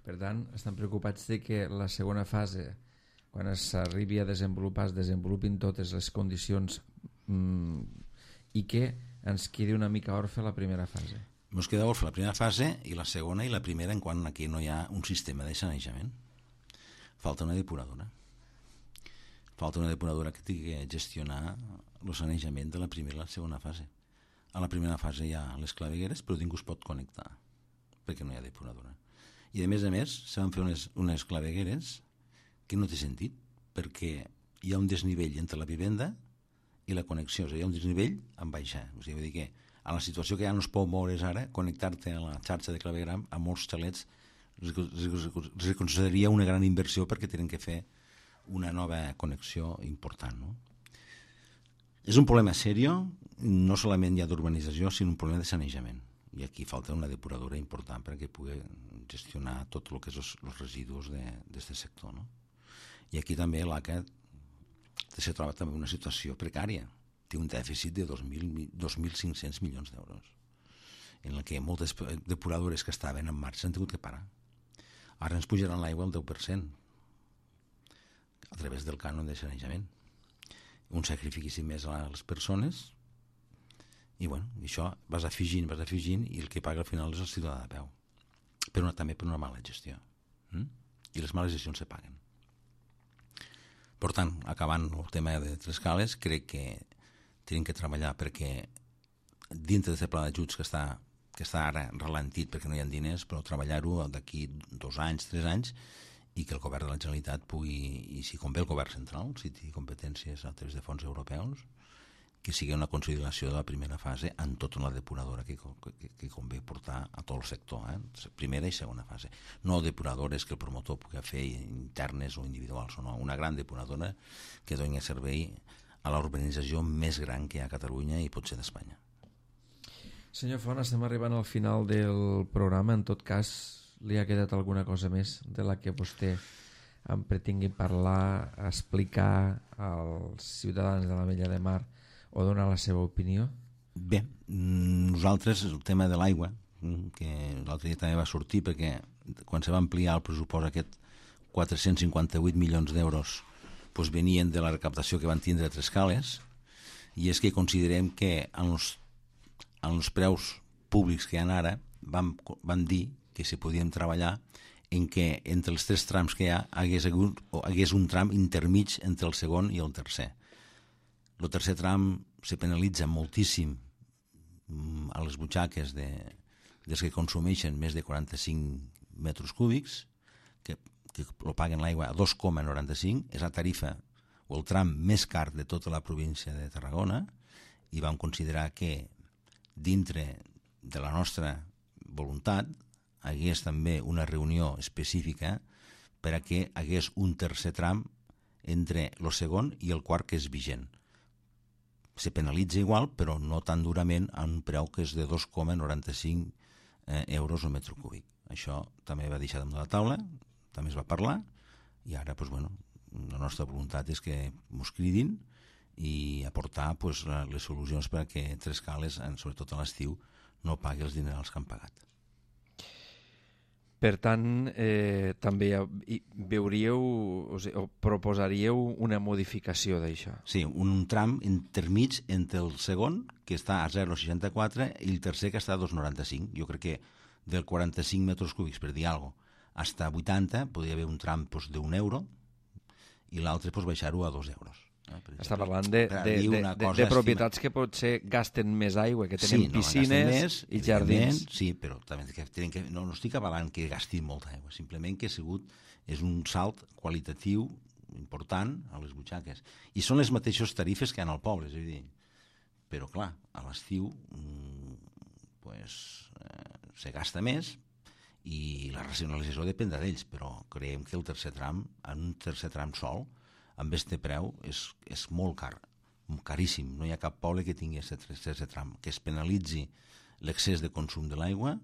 Per tant, estan preocupats de que la segona fase, quan s'arribi a desenvolupar, es desenvolupin totes les condicions i que ens quedi una mica orfe la primera fase. Ens queda orfe la primera fase i la segona i la primera en quant aquí no hi ha un sistema de sanejament. Falta una depuradora. Falta una depuradora que tingui que gestionar el sanejament de la primera i la segona fase. A la primera fase hi ha les clavegueres, però ningú es pot connectar perquè no hi ha depuradora. I a més, se van fer unes clavegueres que no té sentit, perquè hi ha un desnivell entre la vivenda i la connexió, o sigui, hi ha un desnivell en baixar. O sigui, vull dir que a la situació que ja no es pot moure's ara, connectar-te a la xarxa de clavegram a molts xalets es consideraria una gran inversió perquè tenen que fer una nova connexió important, no? És un problema seriós, no solament ja d'urbanització, sinó un problema de sanejament. I aquí falta una depuradora important perquè pugui gestionar tot el que és els residus d'aquest sector, no? I aquí també l'ACA se troba també una situació precària. Té un dèficit de 2.500 milions d'euros, en què moltes depuradores que estaven en marxa han tingut que parar. Ara ens pujaran l'aigua al 10% a través del cànon de sanejament. Un sacrifici més a les persones i això vas afegint i el que paga al final és el ciutadà de peu. Però també per una mala gestió. I les males gestions se paguen. Per tant, acabant el tema de Trescales, crec que tenim que treballar perquè dintre d'aquest pla d'ajuts que està ara ralentit perquè no hi ha diners, però treballar-ho d'aquí 2 anys, 3 anys, i que el govern de la Generalitat pugui, i si convé el govern central, si té competències a través de fons europeus, que sigui una consolidació de la primera fase en tota la depuradora que convé portar a tot el sector, primera i segona fase. No depuradores que el promotor pugui fer internes o individuals, no, una gran depuradora que doni servei a l'urbanització més gran que hi ha a Catalunya i potser d'Espanya. Senyor Font, estem arribant al final del programa. En tot cas, li ha quedat alguna cosa més de la que vostè em pretingui parlar, explicar als ciutadans de l'Ametlla de Mar o donar la seva opinió? Bé, nosaltres el tema de l'aigua, que l'altre dia també va sortir, perquè quan se va ampliar el pressupost aquest 458 milions d'euros doncs venien de la recaptació que van tindre a Trescales, i és que considerem que en els preus públics que hi ha ara van dir que se podien treballar en què entre els 3 trams que hi ha hagués un tram intermig entre el segon i el tercer. El tercer tram se penalitza moltíssim a les butxaques dels que consumeixen més de 45 metres cúbics, que lo paguen l'aigua a 2,95, és la tarifa o el tram més car de tota la província de Tarragona, i vam considerar que dintre de la nostra voluntat hagués també una reunió específica per a que hagués un tercer tram entre el segon i el quart, que és vigent. Se penalitza igual, però no tan durament, a un preu que és de 2,95 euros al metre cúbic. Això també va deixar damunt de la taula, també es va parlar, i ara la nostra voluntat és que ens cridin i aportar les solucions perquè Trescales, sobretot a l'estiu, no pagui els dinerals que han pagat. Per tant, també veuríeu o proposaríeu una modificació d'això? Sí, un tram intermig entre el segon, que està a 0,64, i el tercer, que està a 2,95. Jo crec que del 45 metres cúbics, per dir alguna cosa, fins a 80, podria haver un tram d'1 euro, i l'altre baixar-ho a 2 euros. Està parlant de propietats que potser gasten més aigua, que tenen piscines i jardins. Sí, però també no estic avalant que gastin molta aigua, simplement que és un salt qualitatiu important a les butxaques. I són les mateixes tarifes que hi ha al poble, és a dir, però clar, a l'estiu se gasta més, i la racionalització dependrà d'ells, però creiem que el tercer tram, en un tercer tram sol, amb aquest preu, és molt car, caríssim. No hi ha cap poble que tingui aquest tercer tram, que es penalitzi l'excés de consum de l'aigua,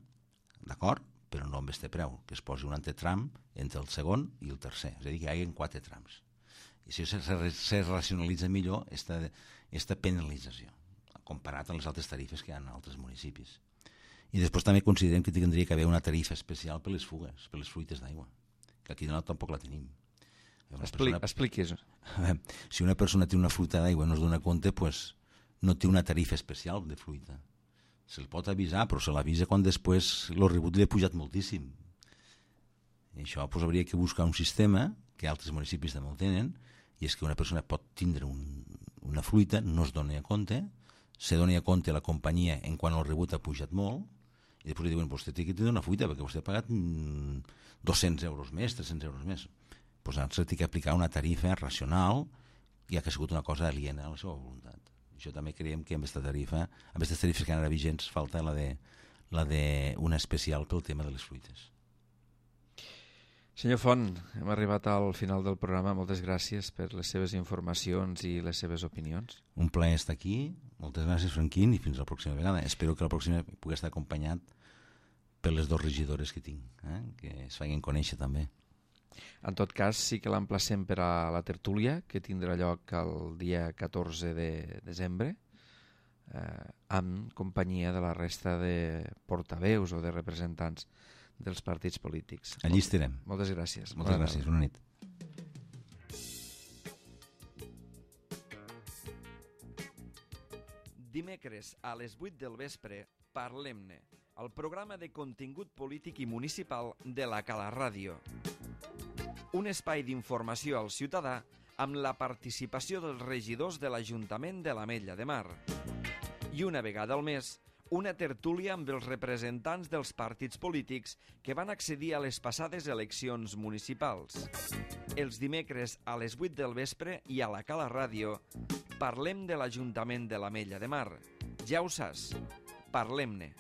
d'acord, però no amb aquest preu, que es posi un altre tram entre el segon i el tercer, és a dir, que hi hagi 4 trams. I si se racionalitza millor aquesta penalització, comparat amb les altres tarifes que hi ha en altres municipis. I després també considerem que tindria que haver una tarifa especial per les fugues, per les fruites d'aigua, que aquí tampoc la tenim. Expliquis. Si una persona té una fruita d'aigua i no es dona compte, no té una tarifa especial de fruita. Se'l pot avisar, però se l'avisa quan després el rebut li ha pujat moltíssim. I això hauria que buscar un sistema, que altres municipis també ho tenen, i és que una persona pot tindre una fruita, no es doni a compte, se doni a compte la companyia en quan el rebut ha pujat molt, i després li diuen, vostè té que tenir una fruita perquè vostè ha pagat 200 euros més, 300 euros més. Doncs ara s'ha d'aplicar una tarifa racional, ja que ha sigut una cosa aliena a la seva voluntat. Això també creiem que amb aquesta tarifa, amb aquestes tarifes que han ara vigents, falta la d'una especial pel tema de les fruites. Senyor Font, hem arribat al final del programa. Moltes gràcies per les seves informacions i les seves opinions. Un plaer estar aquí. Moltes gràcies, Franquín, i fins la pròxima vegada. Espero que la pròxima pugui estar acompanyat per les 2 regidores que tinc, que es facin conèixer també. En tot cas, sí que l'emplacem per a la tertúlia, que tindrà lloc el dia 14 de desembre, amb companyia de la resta de portaveus o de representants dels partits polítics. Allí estarem. Moltes gràcies. Moltes gràcies. Bona nit. Dimecres a les 8 del vespre, Parlem-ne, el programa de contingut polític i municipal de la Cala Ràdio. Un espai d'informació al ciutadà amb la participació dels regidors de l'Ajuntament de l'Ametlla de Mar. I una vegada al mes, una tertúlia amb els representants dels partits polítics que van accedir a les passades eleccions municipals. Els dimecres a les 8 del vespre i a la Cala Ràdio parlem de l'Ajuntament de l'Ametlla de Mar. Ja ho saps, parlem-ne.